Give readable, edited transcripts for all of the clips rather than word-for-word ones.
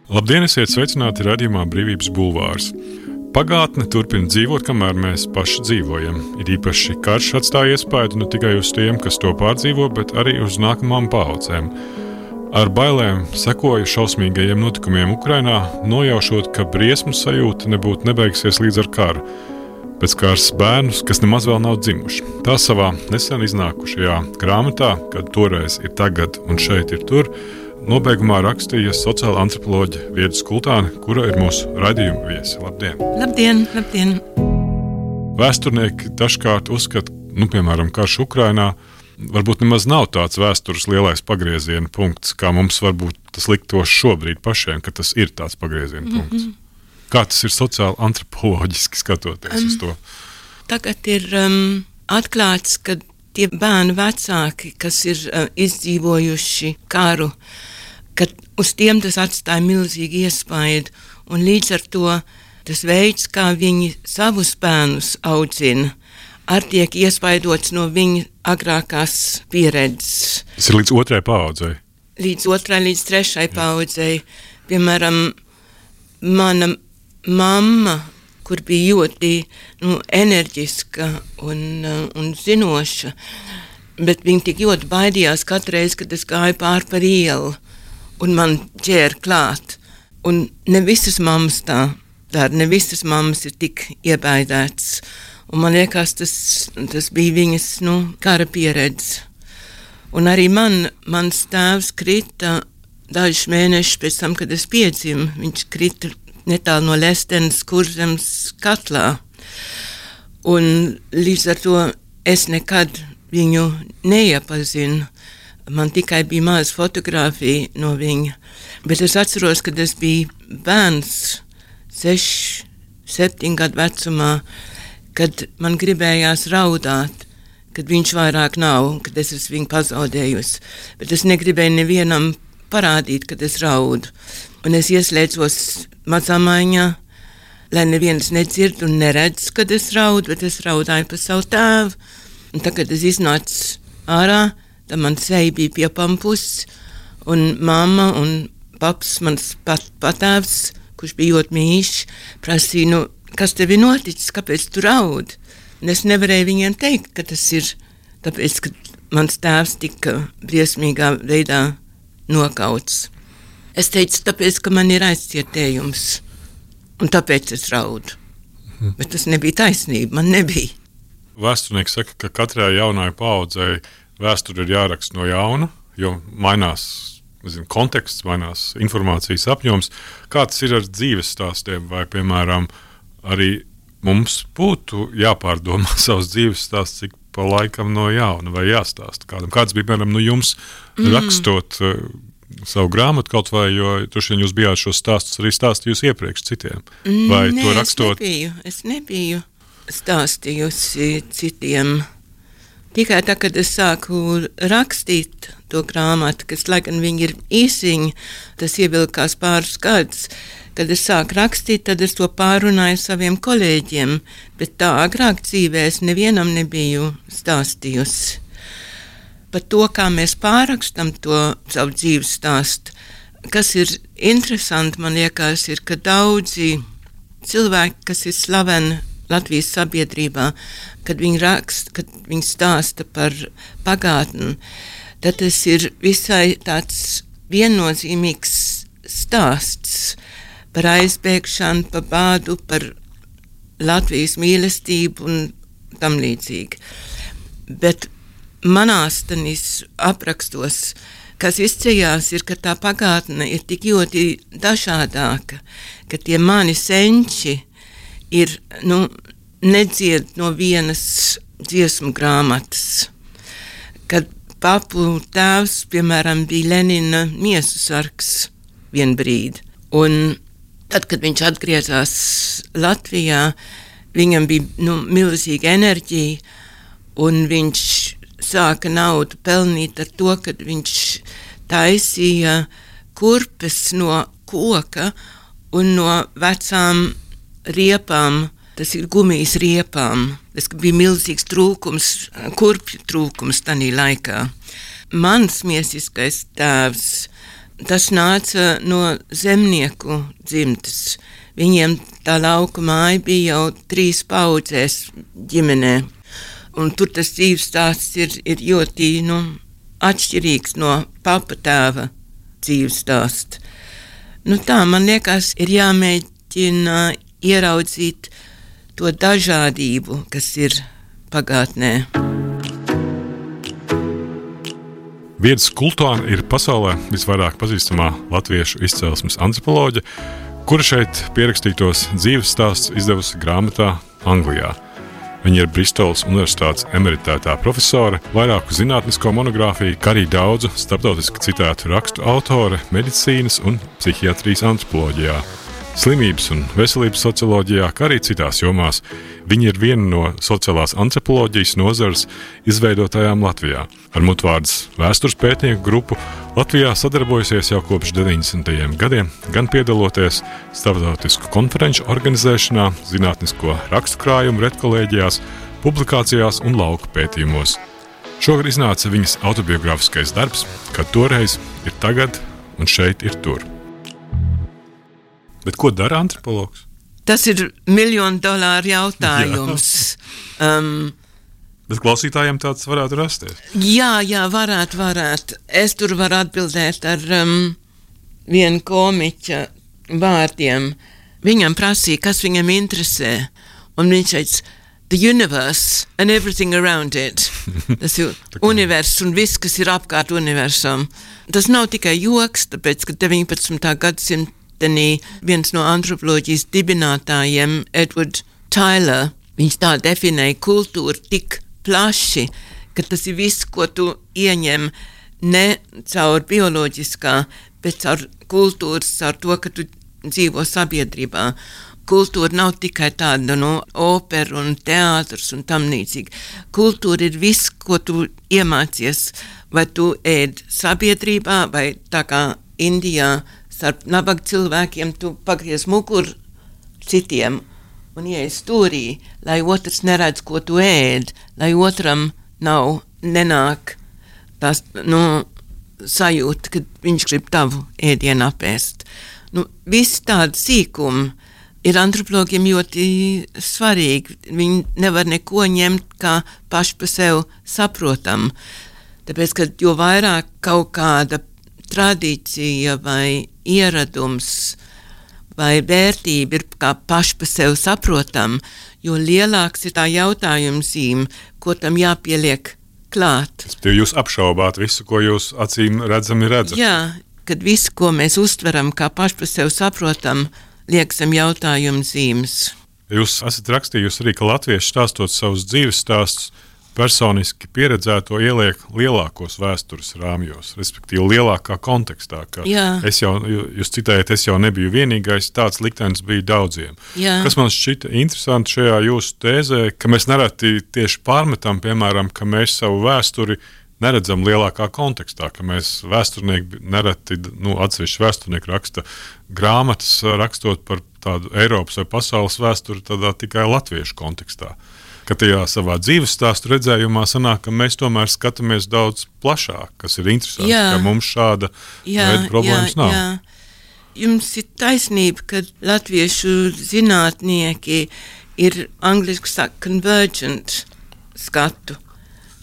Labdien, esiet sveicināti raidījumā Brīvības bulvārs. Pagātne turpina dzīvot, kamēr mēs paši dzīvojam. Ir īpaši karš atstāja iespaidu ne tikai uz tiem, kas to pārdzīvo, bet arī uz nākamām paaudzēm. Ar bailēm sekoju šausmīgajiem notikumiem Ukrainā, nojaušot, ka briesmu sajūta nebūtu nebeigsies līdz ar karu. Pēc kārs bērnus, kas nemaz vēl nav dzimuši. Tā savā nesen iznākušajā grāmatā, kad toreiz ir tagad un šeit ir tur, nobeigumā rakstīja sociāla antropoloģe Vieda Skultāne, kura ir mūsu raidījuma viesi. Labdien! Labdien, labdien! Vēsturnieki dažkārt uzskata, piemēram, karš Ukrainā, varbūt nemaz nav tāds vēstures lielais pagrieziena punkts, kā mums varbūt tas liktos šobrīd pašiem, ka tas ir tāds pagrieziena punkts. Kā tas ir sociāli antropoloģiski skatoties uz to? Tagad ir atklāts, ka tie bērnu vecāki, kas ir izdzīvojuši karu, kad uz tiem tas atstāja milzīgi iespaidu, un līdz ar to tas veids, kā viņi savus bērnus audzina, arī tiek iespaidots no viņa agrākās pieredzes. Tas ir līdz otrai paaudzei? Līdz otrai, līdz trešai paaudzei. Piemēram, mana mamma, kur bija ļoti enerģiska un zinoša, bet viņa tik ļoti baidījās katru reizi, kad es gāju pāri par ielu un man ķēra klāt. Un ne visas mammas tā dara, ne visas mammas ir tik iebaidētas. Un man liekas, tas bija viņas kara pieredze. Un arī mans tēvs krita dažus mēnešus pēc tam, kad es piedzimu. Viņš krita netālu no Lestenes Kurzemes katlā. Un līdz ar to es nekad viņu neiepazinu. Man tikai bija maza fotografija no viņa. Bet es atceros, kad es biju bērns, 6, 7 gadu vecumā, kad man gribējās raudāt, kad viņš vairāk nav, kad es esmu viņu pazaudējusi. Bet es negribēju nevienam parādīt, kad es raudu. Un es ieslēdzos mazamaiņā, lai neviens nedzird un neredz, kad es raudu, bet es raudāju par savu tēvu. Un tad, kad es iznācu ārā, tad man seja bija piepampusi, un mamma un paps, mans patēvs, kurš bija ļoti mīļš, prasīja, kas tev ir noticis, kāpēc tu raudi? Un es nevarēju viņiem teikt, ka tas ir tāpēc, ka mans tēvs tika briesmīgā veidā nokauts. Es teicu, tāpēc, ka man ir aizcietējums, un tāpēc es raudu. Bet tas nebija taisnība, man nebija. Vēsturnieki saka, ka katrai jaunai paaudzei vēsture ir jāraksta no jauna, jo mainās konteksts, mainās informācijas apjoms. Kā tas ir ar dzīves stāstiem? Vai, piemēram, arī mums būtu jāpārdomā savs dzīves stāsts, cik pa laikam no jauna vai jāstāsta kādam? Kāds bija, piemēram, jums rakstot savu grāmatu kaut vai, jo droši vien jūs bijāt šos stāstus arī stāstījusi iepriekš citiem? Vai Nē, to rakstot? Es nebiju stāstījusi citiem. Tikai tā, kad es sāku rakstīt to grāmatu, kas, lai gan viņi ir īsiņi, tas ievilkās pāris gadus, kad es sāku rakstīt, tad es to pārunāju saviem kolēģiem, bet tā agrāk dzīvē es nevienam nebiju stāstījusi. Par to, kā mēs pārrakstam to savu dzīves stāstu, kas ir interesanti, man liekas, ir, ka daudzi cilvēki, kas ir slaveni Latvijas sabiedrībā, kad viņi raksta, kad viņi stāsta par pagātni, tad tas ir visai tāds viennozīmīgs stāsts par aizbēgšanu, par bādu, par Latvijas mīlestību un tam līdzīgi. Bet manās tanis aprakstos, kas izceļās, ir, ka tā pagātne ir tik ļoti dažādāka, ka tie mani senči ir, nedzied no vienas dziesmu grāmatas. Kad papu tēvs, piemēram, bija Lenina miesu sargs vien brīdi. Un tad, kad viņš atgriezās Latvijā, viņam bija milzīga enerģija, un viņš sāka naudu pelnīt ar to, kad viņš taisīja kurpes no koka un no vecām riepām, tas ir gumijas riepām. Tas bija milzīgs trūkums, kurpju trūkums tanī laikā. Mans miesiskais tēvs, tas nāca no zemnieku dzimtes. Viņiem tā lauka māja bija jau 3 paudzēs ģimenē. Un tur tas dzīves stāsts ir ļoti atšķirīgs no papa tēva dzīves stāsts. Tā, man liekas, ir jāmēģina ieraudzīt to dažādību, kas ir pagātnē. Viedas Kultone ir pasaulē visvairāk pazīstamā latviešu izcelsmes antropoloģe, kura šeit pierakstītos dzīves stāsts izdevusi grāmatā Anglijā. Viņa ir Bristolas Universitātes emeritētā profesore, vairāku zinātnisko monogrāfiju, kā arī daudzu starptautiski citētu rakstu autore medicīnas un psihiatrijas antropoloģijā, slimības un veselības socioloģijā, kā arī citās jomās. Viņa ir viena no sociālās antropoloģijas nozares izveidotājām Latvijā. Ar mutvārdas vēstures pētnieku grupu Latvijā sadarbojusies jau kopš 90. gadiem, gan piedaloties starptautisku konferenču organizēšanā, zinātnisko rakstu krājumu redkolēģijās, publikācijās un lauku pētījumos. Šogad iznāca viņas autobiogrāfiskais darbs, kad toreiz ir tagad un šeit ir tur. Bet ko dara antropologs? Tas ir $1 miljonu jautājums. Bet klausītājiem tāds varētu rasties. Jā, varētu. Es tur varu atbildēt ar vienu komiķa vārdiem. Viņam prasīja, kas viņam interesē. Un viņš teica, the universe and everything around it. Tas ir universs un viss, kas ir apkārt universam. Tas nav tikai joks, tāpēc, ka 19. gadsimta viens no antropoloģijas dibinātājiem, Edward Tyler, viņš tā definēja kultūru tik plaši, ka tas ir viss, ko tu ieņem ne caur bioloģiskā, bet caur kultūras, caur to, ka tu dzīvo sabiedrībā. Kultūra nav tikai tāda opera un teātrs un tam līdzīgi. Kultūra ir viss, ko tu iemācies, vai tu ēd sabiedrībā, vai tā kā Indijā, starp nabaga cilvēkiem tu pagriez muguru citiem un ieies stūrī, lai otrs neredz, ko tu ēd, lai otram nenāk tās sajūta, kad viņš grib tavu ēdienu apēst. Viss tāda sīkuma ir antropologiem ļoti svarīgi. Viņi nevar neko ņemt kā paši pa sev saprotam. Tāpēc, ka jo vairāk kaut kāda tradīcija vai ieradums vai vērtība ir kā paši pa sev saprotam, jo lielāks ir tā jautājuma zīme, ko tam jāpieliek klāt. Jūs apšaubāt visu, ko jūs acīm redzami redzat. Jā, kad visu, ko mēs uztveram kā paši pa sev saprotam, liekam jautājumu zīmes. Jūs esat rakstījusi arī, ka latvieši stāstot savus dzīves stāstus, personiski pieredzēto ieliek lielākos vēstures rāmjos, respektīvi lielākā kontekstā. Jūs citējat, es jau nebiju vienīgais, tāds liktenis bija daudziem. Jā. Kas man šķita interesanti šajā jūsu tēzē, ka mēs nereti tieši pārmetam, piemēram, ka mēs savu vēsturi neredzam lielākā kontekstā, ka mēs vēsturnieki nereti, atsevišķi vēsturnieki raksta grāmatas, rakstot par tādu Eiropas vai pasaules vēsturi tādā tikai latviešu kontekstā. Ka tajā savā dzīves stāstu redzējumā sanāk, ka mēs tomēr skatāmies daudz plašāk, kas ir interesanti, ka mums šāda veida problēmas nav. Jā. Jums ir taisnība, ka latviešu zinātnieki ir angliski saka convergent skatu,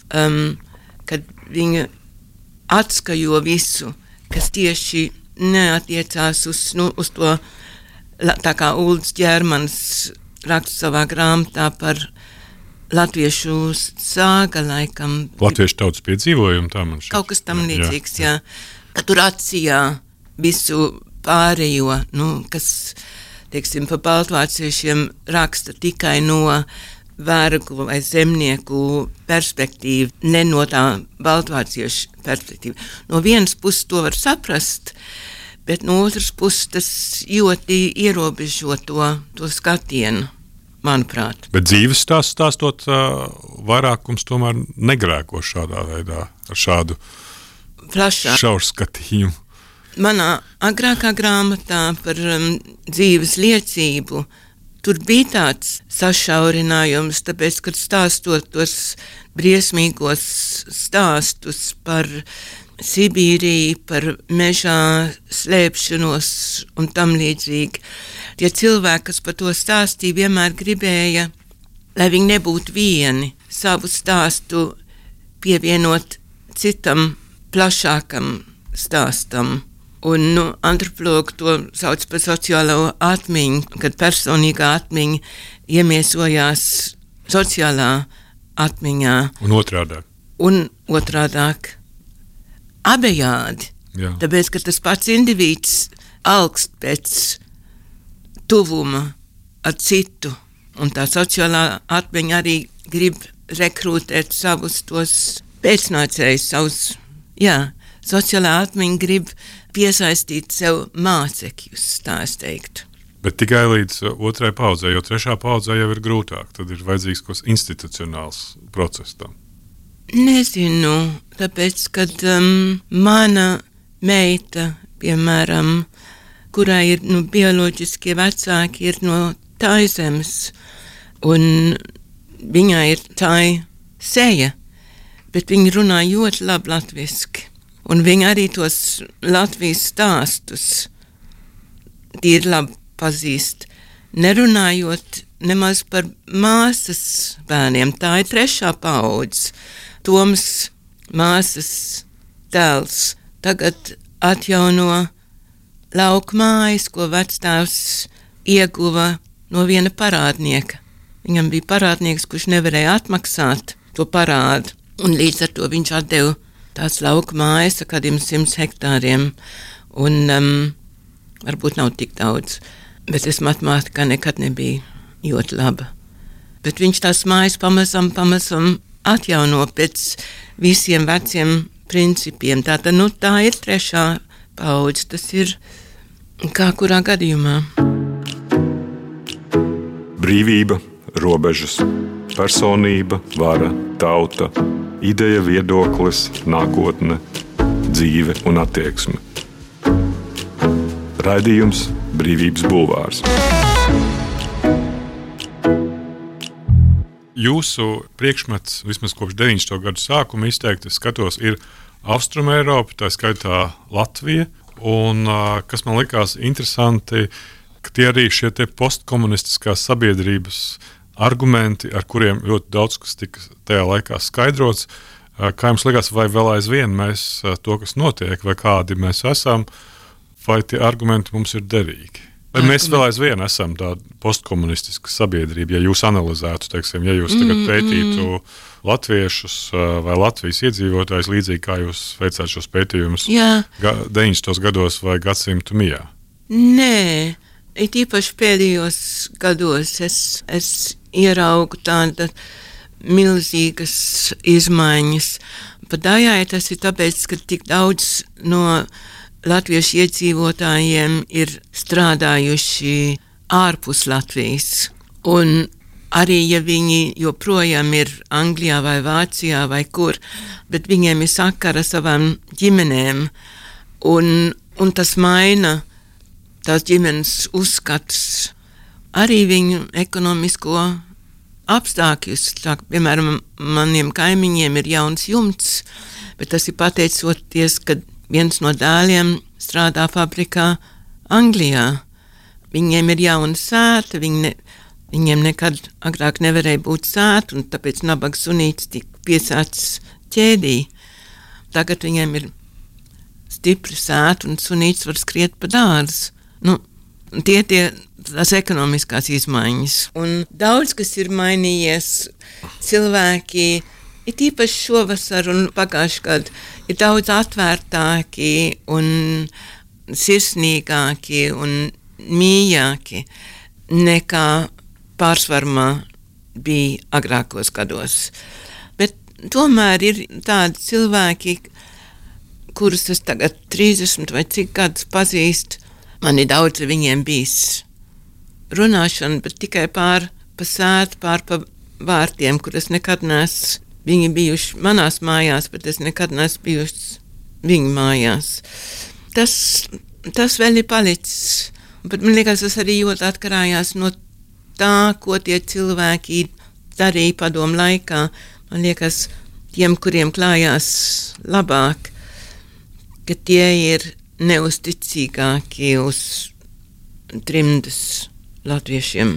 kad viņi atskajo visu, kas tieši neatiecās uz to, tā kā Ulds Ģermans raksta savā grāmatā par latviešu sāga laikam. Latviešu tautas piedzīvojumu tā man šķiet. Kaut kas tam līdzīgs, jā. Ka tur atsijā visu pārējo, kas, teiksim, pa baltvāciešiem raksta tikai no vergu vai zemnieku perspektīvu, ne no tā baltvāciešu perspektīvu. No vienas puses to var saprast, bet no otras puses tas ļoti ierobežo to skatienu. Manuprāt. Bet dzīves stāstot, vairākums tomēr negrēko šādā veidā, ar šādu šaurskatījumu. Manā agrākā grāmatā par dzīves liecību tur bija tāds sašaurinājums, tāpēc, kad stāstot tos briesmīgos stāstus par Sibīriju, par mežā slēpšanos un tam līdzīgi. Tie cilvēki, kas par to stāstīja, vienmēr gribēja, lai viņi nebūtu vieni, savu stāstu pievienot citam plašākam stāstam. Un antropologi to sauc par sociālo atmiņu, kad personīgā atmiņa iemiesojās sociālā atmiņā. Un otrādāk. Abejādi. Jā. Tāpēc, ka tas pats indivīds alkst pēc tuvuma ar citu. Un tā sociālā atmiņa arī grib rekrutēt savus tos pēcnācējus, sociālā atmiņa grib piesaistīt sev mācekļus, tā es teiktu. Bet tikai līdz otrai paudzei, jo trešā paudzē jau ir grūtāk, tad ir vajadzīgs kaut kas institucionāls process tam. Nezinu, tāpēc, kad mana meita, piemēram, kurai ir bioloģiskie vecāki, ir no Taizemes, un viņai ir tai seja, bet viņa runā ļoti labi latviski. Un viņa arī tos Latvijas stāstus tīri labi pazīst, nerunājot nemaz par māsas bērniem. Tā ir trešā paudze. Tomas māsas tēls tagad atjauno lauku mājas, ko vectēvs ieguva no viena parādnieka. Viņam bija parādnieks, kurš nevarēja atmaksāt to parādu, un līdz ar to viņš atdeva tās lauka mājas ar kādiem 100 hektāriem, un varbūt nav tik daudz, bet es matemātikā nekad nebija ļoti laba. Bet viņš tās mājas pamazam atjauno pēc visiem veciem principiem. Tātad, tā ir trešā paudze, tas ir kā kurā gadījumā. Brīvība, robežas, personība, vara, tauta, ideja, viedoklis, nākotne, dzīve un attieksme. Raidījums Brīvības bulvārs. Jūsu priekšmets, vismaz kopš 90. gadu sākuma izteikti, skatos, ir Austrumēropa, tā skaitā Latvija, un kas man likās interesanti, ka tie arī šie te postkomunistiskās sabiedrības argumenti, ar kuriem ļoti daudz kas tika tajā laikā skaidrots. Kā jums likās, vai vēl aizvien mēs to, kas notiek, vai kādi mēs esam, vai tie argumenti mums ir derīgi? Vai mēs vēl aizvien esam tāda postkomunistiska sabiedrība, ja jūs analizētu, teiksim, ja jūs tagad pētītu latviešus vai Latvijas iedzīvotājus, līdzīgi kā jūs veicāt šos pētījumus 90. gados vai gadsimtu mijā? Nē, it īpaši pēdējos gados es ieraugu tāda milzīgas izmaiņas. Pat daļai tas ir tāpēc, ka tik daudz no latviešu iedzīvotājiem ir strādājuši ārpus Latvijas. Un arī, ja viņi joprojām ir Anglijā vai Vācijā vai kur, bet viņiem ir sakara savām ģimenēm, un tas maina tās ģimenes uzskats, arī viņu ekonomisko apstākļus. Tā, piemēram, maniem kaimiņiem ir jauns jumts, bet tas ir pateicoties, ka viens no dēliem strādā fabrikā Anglijā. Viņiem ir jauna sēta, viņiem nekad agrāk nevarēja būt sēta, un tāpēc nabaga sunītis tika piesācis ķēdī. Tagad viņiem ir stipri sēta, un sunītis var skriet pa dārzu. Tie tās ekonomiskās izmaiņas. Un daudz, kas ir mainījies, cilvēki ir īpaši šovasar un pagājuši gadu, ir daudz atvērtāki un sirsnīgāki un mīļāki nekā pārsvarmā bija agrākos gados. Bet tomēr ir tādi cilvēki, kurus es tagad 30 vai cik gadus pazīstu, man ir daudz ar viņiem bijis runāšana, bet tikai pār pa sētu, pār pa vārtiem, kur es nekad neesmu. Viņi bijuši manās mājās, bet es nekad neesmu bijuši viņu mājās. Tas vēl ir palicis. Bet man liekas, tas arī ļoti atkarājās no tā, ko tie cilvēki darīja padomu laikā. Man liekas, tiem, kuriem klājās labāk, ka tie ir neusticīgāki uz trimdas latviešiem.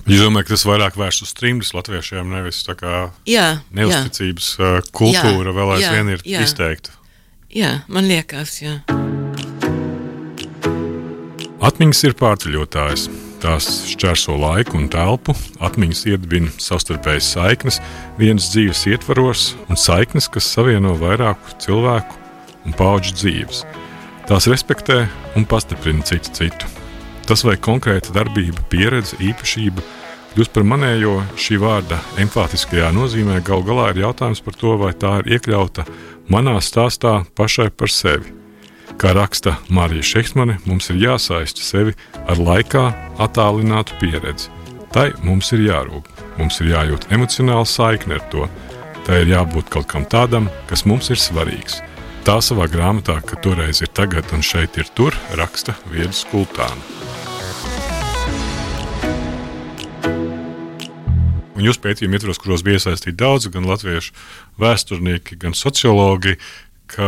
Jūs domājat, ka tas vairāk vērsts uz trimdas latviešiem, nevis tā kā neusticības kultūra vēl aizvien ir izteikta? Jā, man liekas, jā. Atmiņas ir pārceļotājas. Tās šķērso laiku un telpu, atmiņas iedibina savstarpējas saiknes, vienas dzīves ietvaros un saiknes, kas savieno vairāku cilvēku un paudžu dzīves. Tās respektē un pastiprina citu. Tas vai konkrēta darbība, pieredze, īpašība kļūst par manējo šī vārda emfātiskajā nozīmē, gal galā ir jautājums par to, vai tā ir iekļauta manā stāstā pašai par sevi. Kā raksta Mārija Šeksmane, mums ir jāsaista sevi ar laikā attālinātu pieredzi. Tai mums ir jārūp, mums ir jājūt emocionāla saikne ar to. Tai ir jābūt kaut kam tādam, kas mums ir svarīgs. Tā savā grāmatā, ka toreiz ir tagad un šeit ir tur, raksta Vieda Skultāna. Un jūs pētījumi ietvaros, kuros bija iesaistīti daudzi, gan latviešu vēsturnieki, gan sociologi, ka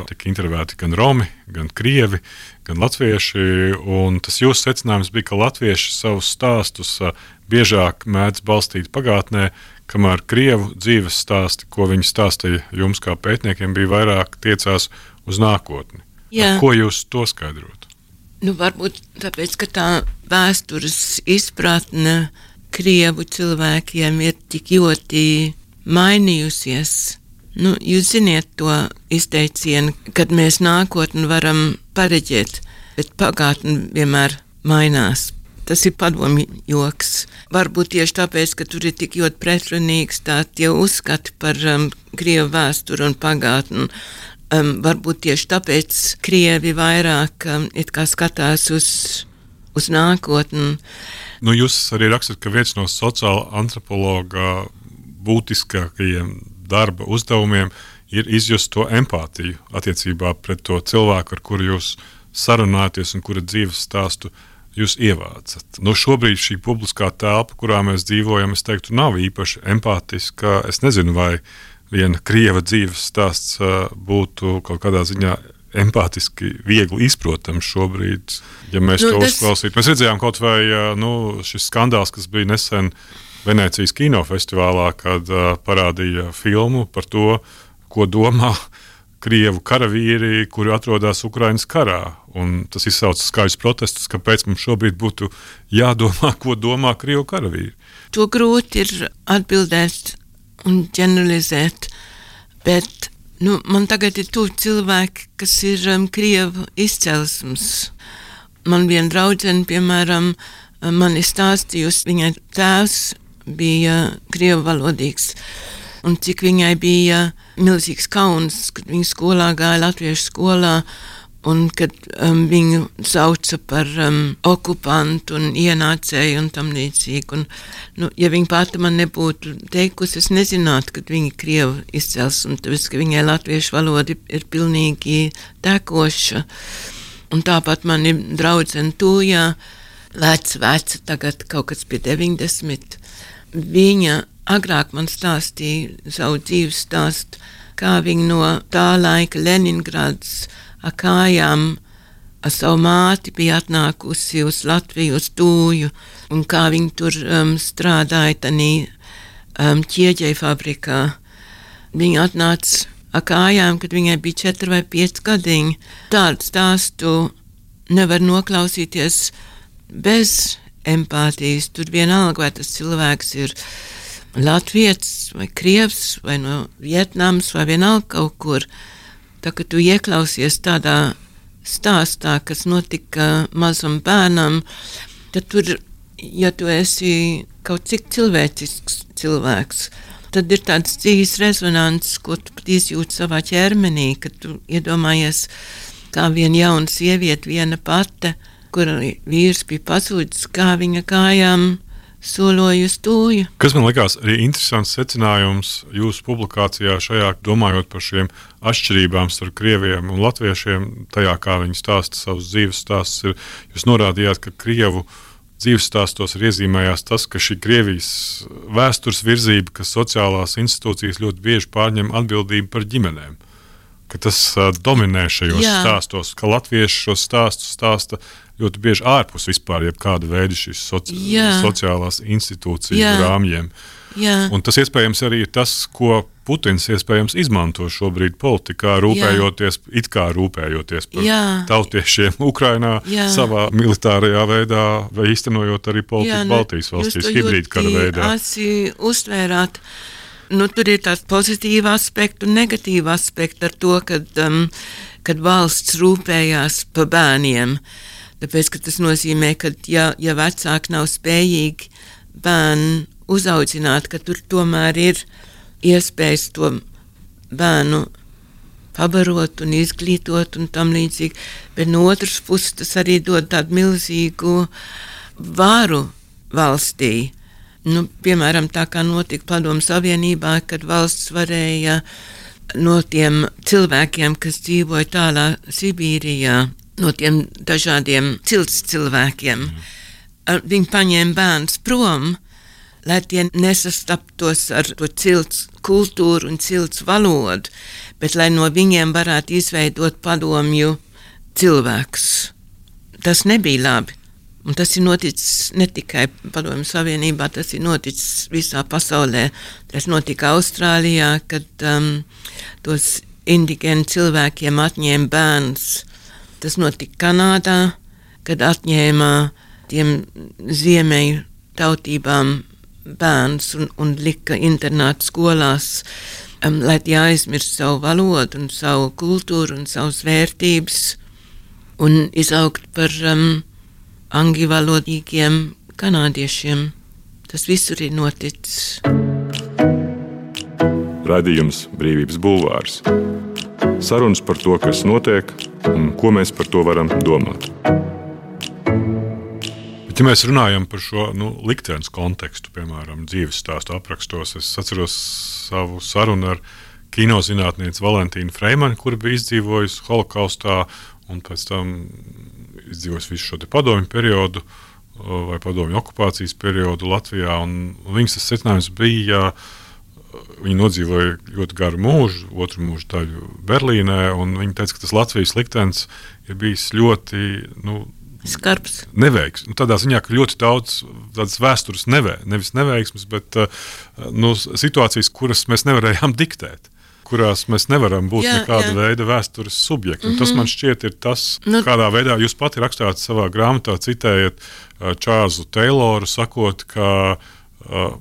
tika intervēti gan romi, gan krievi, gan latvieši, un tas jūsu secinājums bija, ka latvieši savus stāstus biežāk mēdz balstīt pagātnē, kamēr krievu dzīves stāsti, ko viņi stāstīja jums kā pētniekiem, bija vairāk tiecās uz nākotni. Ar ko jūs to skaidrotu? Varbūt tāpēc, ka tā vēstures izpratne krievu cilvēkiem ir tik ļoti mainījusies. Jūs ziniet to izteicienu, kad mēs nākotni varam pareģēt, bet pagātni vienmēr mainās. Tas ir padomju joks. Varbūt tieši tāpēc, ka tur ir tik ļoti pretrunīgs tie uzskati par krievu vēsturi un pagātni. Varbūt tieši tāpēc krievi vairāk it kā skatās uz nākotni. Jūs arī rakstat, ka viens no sociāla antropologa būtiskākajiem darba uzdevumiem ir izjust to empātiju attiecībā pret to cilvēku, ar kuru jūs sarunājaties un kura dzīves stāstu jūs ievācat. Šobrīd šī publiskā telpa, kurā mēs dzīvojam, es teiktu, nav īpaši empātiska. Es nezinu, vai viena krieva dzīves stāsts būtu kaut kādā ziņā empātiski viegli izprotams šobrīd, ja mēs to uzklausītu. Mēs redzējām kaut vai šis skandāls, kas bija nesen Venēcijas kinofestivālā, kad parādīja filmu par to, ko domā krievu karavīri, kuri atrodas Ukrainas karā. Un tas izsauca skaļus protestus, kāpēc mums šobrīd būtu jādomā, ko domā krievu karavīri. To grūti ir atbildēt un ģeneralizēt, bet man tagad ir tuvi cilvēki, kas ir krievu izcelsmes. Man viena draudzene, piemēram, man ir stāstījusi, viņai tēvs bija krievu valodīgs, un cik viņai bija milzīgs kauns, kad viņa skolā gāja latviešu skolā, un kad viņu sauca par okupantu un ienācēju un tam līdzīgi. Un, ja viņa pati man nebūtu teikusi, es nezinātu, kad viņa krievu izcels, un tāpēc, ka viņai latviešu valoda ir pilnīgi tekoša. Un tāpat man ir draudzene Tūjā, veca, tagad kaut kas pie 90. Viņa agrāk man stāstīja savu dzīves stāstu, kā viņa no tā laika Leningrads ar kājām ar savu māti bija atnākusi uz Latviju, uz Tūju, un kā viņa tur strādāja tanī ķieģeļu fabrikā. Viņa atnāca ar kājām, kad viņai bija 4 vai 5 gadiņi. Tādu stāstu nevar noklausīties bez empātijas. Tur vienalga, vai tas cilvēks ir latvietis vai krievs vai no Vietnamas vai vienalga kaut kur. Tā, ka tu ieklausies tādā stāstā, kas notika mazam bērnam, tad tur, ja tu esi kaut cik cilvēcisks cilvēks, tad ir tāds dzīves rezonants, ko tu pat izjūti savā ķermenī, kad tu iedomājies, kā viena jauna sieviete, viena pate, kura vīrs bija pazudis, kā viņa kājām soloja uz Tūju. Kas man likās arī interesants secinājums jūsu publikācijā šajā, domājot par šiem atšķirībām starp krieviem un latviešiem, tajā, kā viņi stāsta savus dzīves stāstus, jūs norādījāt, ka krievu dzīves stāstos ir iezīmējās tas, ka šī Krievijas vēstures virzība, ka sociālās institūcijas ļoti bieži pārņem atbildību par ģimenēm. Ka tas dominē šajos stāstos, ka latvieši šos stāstus stāsta ļoti bieži ārpus vispār jebkāda veida šīs sociālās institūciju rāmjiem. Un tas iespējams arī ir tas, ko Putins iespējams izmanto šobrīd politikā, rūpējoties par tautiešiem Ukrainā savā militārajā veidā, vai īstenojot arī politiku Baltijas valstīs hibrīdkara veidā. Jūs to uztvērāt. Tur ir tāds pozitīva aspekta un negatīva aspekta ar to, kad valsts rūpējās par bērniem. Tāpēc, ka tas nozīmē, ka ja vecāki nav spējīgi bērnu uzaudzināt, ka tur tomēr ir iespējas to bērnu pabarot un izglītot un tam līdzīgi. Bet no otras puses tas arī dod tādu milzīgu varu valstī. Piemēram, tā kā notika Padomju Savienībā, kad valsts varēja no tiem cilvēkiem, kas dzīvoja tālā Sibīrijā, no tiem dažādiem cilts cilvēkiem, viņi paņēma bērns prom, lai tie nesastaptos ar to cilts kultūru un cilts valodu, bet lai no viņiem varētu izveidot padomju cilvēkus. Tas nebija labi. Un tas ir noticis ne tikai Padomju Savienībā, tas ir noticis visā pasaulē. Tas notika Austrālijā, kad tos indigēnu cilvēkiem atņēma bērns. Tas notika Kanādā, kad atņēma tiem ziemeļu tautībām bērns un lika internātu skolās, lai tie aizmirst savu valodu un savu kultūru un savas vērtības un izaugt par angļuvalodīgiem kanādiešiem. Tas visur ir noticis. Raidījums Brīvības bulvārs. Sarunas par to, kas notiek un ko mēs par to varam domāt. Bet, ja mēs runājam par šo liktenes kontekstu, piemēram, dzīves stāstu aprakstos, es atceros savu sarunu ar kinozinātnieci Valentīnu Freimani, kura bija izdzīvojusi holokaustā un pēc tam izdzīvojusi visu šo padomju periodu vai padomju okupācijas periodu Latvijā. Un viņas secinājums bija, viņa nodzīvoja ļoti garu mūžu, otru mūžu daļu Berlīnē, un viņa teica, ka tas Latvijas liktenis ir bijis ļoti skarbs. Neveiksms. Tādā ziņā, ka ļoti daudz tādas vēstures nevis neveiksmes, bet situācijas, kuras mēs nevarējām diktēt, kurās mēs nevaram būt nekāda veida vēstures subjekti. Un tas man šķiet ir tas, kādā veidā jūs pati rakstāt savā grāmatā, citējat Čārlzu Teiloru, sakot, ka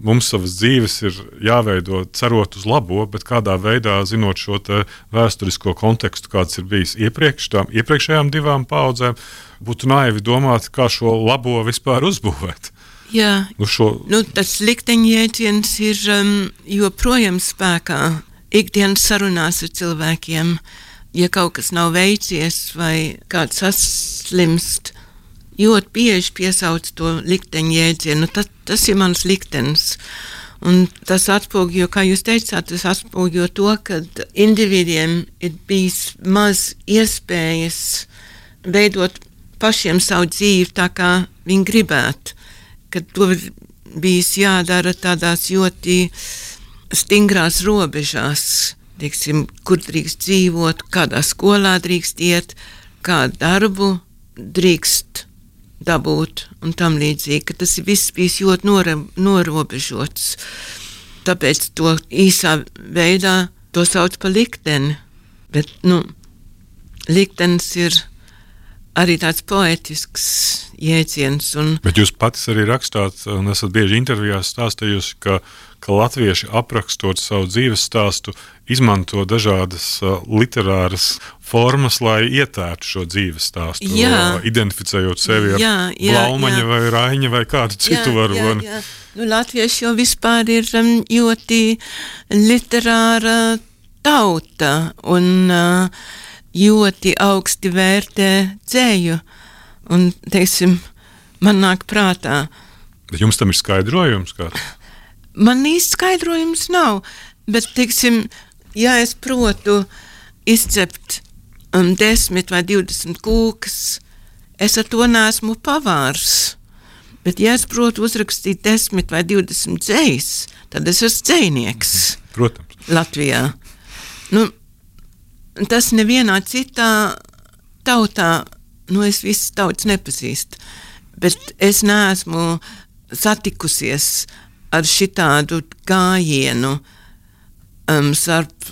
mums savas dzīves ir jāveido cerot uz labo, bet kādā veidā, zinot šo te vēsturisko kontekstu, kāds ir bijis iepriekšējām divām paudzēm, būtu naivi domāt, kā šo labo vispār uzbūvēt. Jā, tas likteņjēdziens ir joprojām spēkā. Ikdienas sarunās ar cilvēkiem, ja kaut kas nav veicies vai kāds saslimst, ļoti bieži piesauc to likteņjēdzienu. Tas ir mans liktenis. Un tas atspoguļo, kā jūs teicāt, tas atspoguļo to, ka individiem ir bijis maz iespējas veidot pašiem savu dzīvi tā, kā viņi gribētu. Kad to bijis jādara tādās ļoti stingrās robežās, teiksim, kur drīkst dzīvot, kādā skolā drīkst iet, kādu darbu drīkst dabūt un tam līdzīgi, ka tas viss bijis ļoti norobežots. Tāpēc to īsā veidā to sauc par likteni. Bet, liktenis ir arī tāds poetisks jēdziens. Bet jūs pats arī rakstāt, un esat bieži intervijās stāstījusi, ka latvieši aprakstot savu dzīves stāstu izmanto dažādas literāras formas, lai ietērtu šo dzīves stāstu, identificējot sevi ar Blaumaņa vai Raiņa vai kādu citu varoni. Latvieši jau vispār ir ļoti literāra tauta un ļoti augsti vērtē dzēju. Un, teiksim, man nāk prātā. Bet jums tam ir skaidrojums kāds? Man īsti skaidrojums nav, bet, teiksim, ja es protu izcept 10 vai 20 kūkas, es ar to neesmu pavārs. Bet ja es protu uzrakstīt 10 vai 20 dzejas, tad es esmu dzejnieks. Protams. Latvijā. Nu, tas nevienā citā tautā, es visas tautas nepazīstu, bet es neesmu satikusies ar šitādu gājienu starp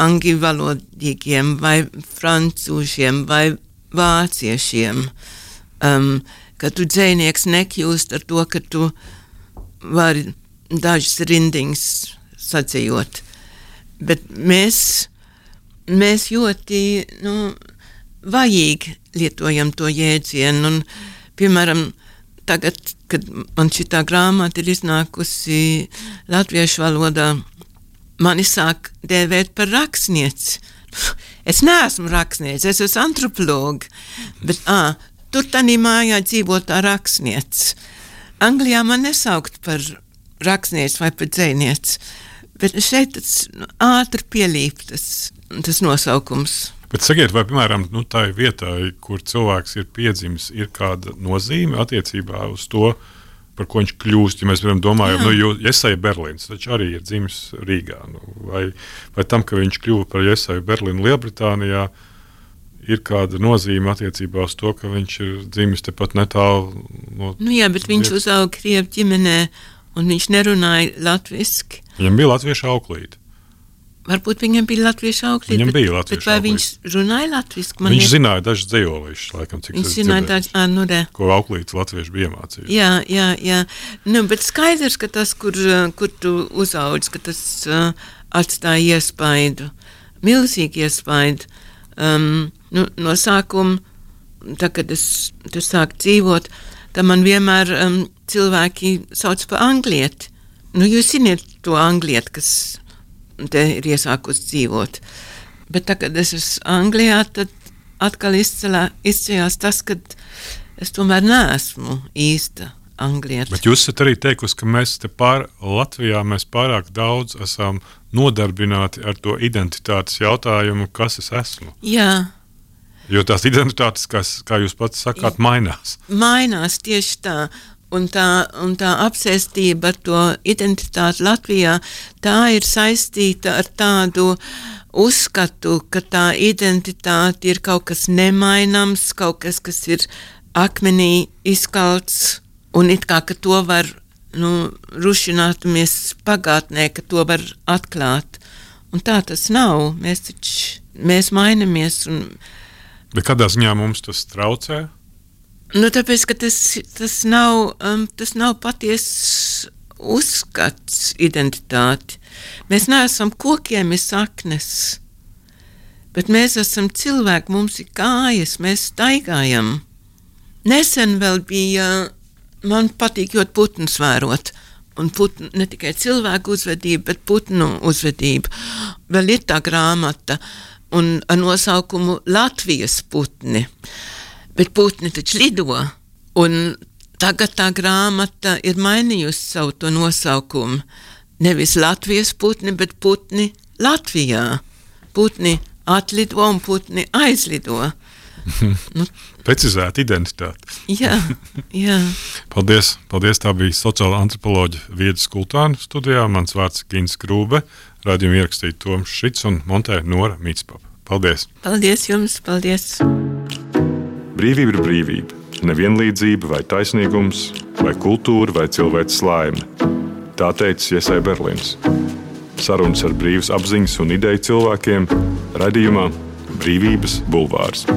angļu valodīgiem vai francūžiem vai vāciešiem, ka tu dzejnieks nekļūst ar to, ka tu vari dažas rindiņas sadzejot. Bet mēs ļoti, vajīgi lietojam to jēdzienu, un, piemēram, tagad, kad man šitā grāmata ir iznākusi latviešu valodā, mani sāk dēvēt par rakstnieci. Es neesmu rakstnieci, es esmu antropologi, bet tur tanī mājā dzīvo tā rakstnieci. Anglijā man nesaukt par rakstnieci vai par dzejnieci, bet šeit tas ātri pielīp tas nosaukums. Bet sakiet, vai, piemēram, tā vietā, kur cilvēks ir piedzimis, ir kāda nozīme attiecībā uz to, par ko viņš kļūst, ja mēs varam domājam, Jesaja Berlīns, taču arī ir dzimis Rīgā, vai tam, ka viņš kļuva par Jesaju Berlīnu Lielbritānijā, ir kāda nozīme attiecībā uz to, ka viņš ir dzimis tepat netālu no... Jā, bet viņš uzauga Krievu ģimenē, un viņš nerunāja latviski. Viņam bija latviešu auklīte. Varbūt viņam bija latviešu auklīte, bet vai viņš runāja latviski? Viņš zināja dažas dzejolīšus, laikam, cik viņš zināja dažas, ko auklītes latviešu bija iemācījuši. Jā. Bet skaidrs, ka tas, kur tu uzaudz, ka tas atstāja iespaidu, milzīgi iespaidu. No sākuma, tā, kad es sāku dzīvot, tad man vienmēr cilvēki sauc par anglieti. Jūs zināt to anglieti, kas te ir iesākus dzīvot. Bet tā, kad es esmu Anglijā, tad atkal izcējās tas, ka es tomēr neesmu īsta anglieta. Bet jūs esat arī teikusi, ka mēs te Latvijā pārāk daudz esam nodarbināti ar to identitātes jautājumu, kas es esmu. Jā. Jo tās identitātes, kā jūs pats sakāt, mainās. Mainās tieši tā. Un tā apsēstība ar to identitāti Latvijā, tā ir saistīta ar tādu uzskatu, ka tā identitāte ir kaut kas nemainams, kaut kas ir akmenī izkalts, un it kā, ka to var rušināties pagātnē, ka to var atklāt. Un tā tas nav. Mēs mainamies. Bet kādā ziņā mums tas traucē? Tāpēc, ka tas nav patiess uzskats identitāti. Mēs neesam kokiem ir saknes, bet mēs esam cilvēki, mums ir kājas, mēs staigājam. Nesen vēl bija, man patīk ļoti putnus vērot, un ne tikai cilvēku uzvedību, bet putnu uzvedību. Vēl ir tā grāmata un ar nosaukumu Latvijas putni. Bet putni taču lido, un tagad tā grāmata ir mainījusi savu to nosaukumu. Nevis Latvijas putni, bet putni Latvijā. Putni atlido un putni aizlido. Precizēta identitāte. Jā. Paldies, tā bija sociāla antropoloģa Vieda Skultāna studijā. Mans vārds Gins Krūbe, raidījumu ierakstīja Toms Šits un montē Nora Mītspapa. Paldies! Paldies jums, paldies! Brīvība ir brīvība, nevienlīdzība vai taisnīgums, vai kultūra vai cilvēks laime. Tā teica Jesaja Berlīns. Sarunas ar brīvas apziņas un ideju cilvēkiem raidījumā Brīvības bulvārs.